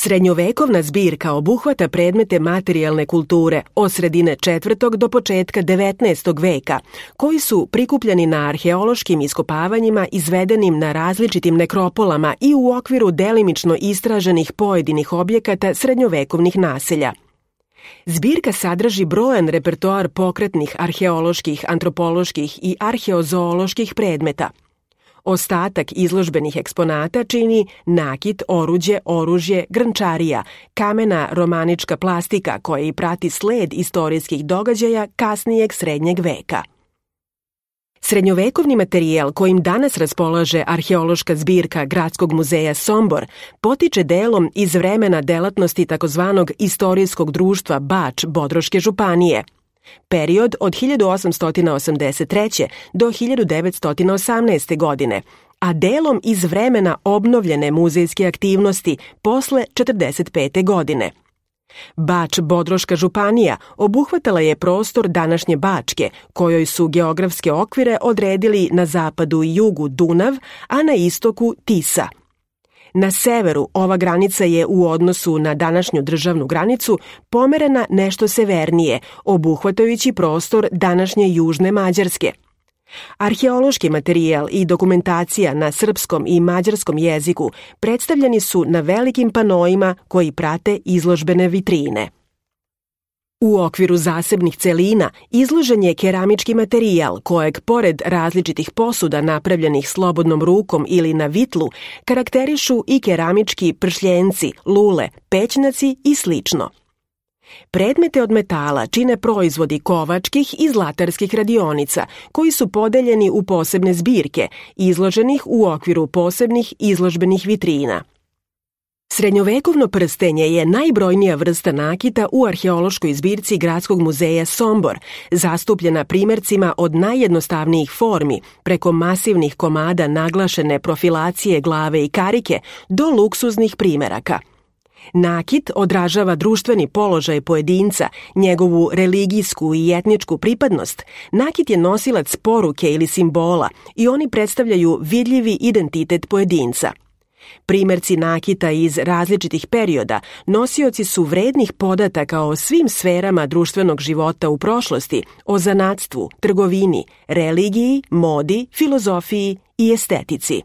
Srednjovekovna zbirka obuhvata predmete materijalne kulture od sredine 4. do početka 19. veka, koji su prikupljeni na arheološkim iskopavanjima izvedenim na različitim nekropolama i u okviru delimično istraženih pojedinih objekata srednjovekovnih naselja. Zbirka sadrži brojan repertoar pokretnih arheoloških, antropoloških i arheozooloških predmeta. Ostatak izložbenih eksponata čini nakit, oruđe, oružje, grnčarija, kamena romanička plastika koja i prati sled istorijskih događaja kasnijeg srednjeg veka. Srednjovekovni materijal kojim danas raspolaže arheološka zbirka Gradskog muzeja Sombor potiče delom iz vremena delatnosti takozvanog istorijskog društva Bač Bodroške županije, period od 1883. do 1918. godine, a delom iz vremena obnovljene muzejske aktivnosti posle 1945. godine. Bač Bodroška županija obuhvatala je prostor današnje Bačke, kojoj su geografske okvire odredili na zapadu i jugu Dunav, a na istoku Tisa. Na severu ova granica je u odnosu na današnju državnu granicu pomerena nešto severnije, obuhvatajući prostor današnje južne Mađarske. Arheološki materijal i dokumentacija na srpskom i mađarskom jeziku predstavljeni su na velikim panoima koji prate izložbene vitrine. U okviru zasebnih celina izložen je keramički materijal kojeg, pored različitih posuda napravljenih slobodnom rukom ili na vitlu, karakterišu i keramički pršljenci, lule, pećnaci i slično. Predmete od metala čine proizvodi kovačkih i zlatarskih radionica, koji su podeljeni u posebne zbirke, izloženih u okviru posebnih izložbenih vitrina. Srednjovekovno prstenje je najbrojnija vrsta nakita u arheološkoj zbirci Gradskog muzeja Sombor, zastupljena primercima od najjednostavnijih formi, preko masivnih komada naglašene profilacije glave i karike, do luksuznih primeraka. Nakit odražava društveni položaj pojedinca, njegovu religijsku i etničku pripadnost. Nakit je nosilac poruke ili simbola i oni predstavljaju vidljivi identitet pojedinca. Primerci nakita iz različitih perioda nosioci su vrednih podataka o svim sferama društvenog života u prošlosti, o zanatstvu, trgovini, religiji, modi, filozofiji i estetici.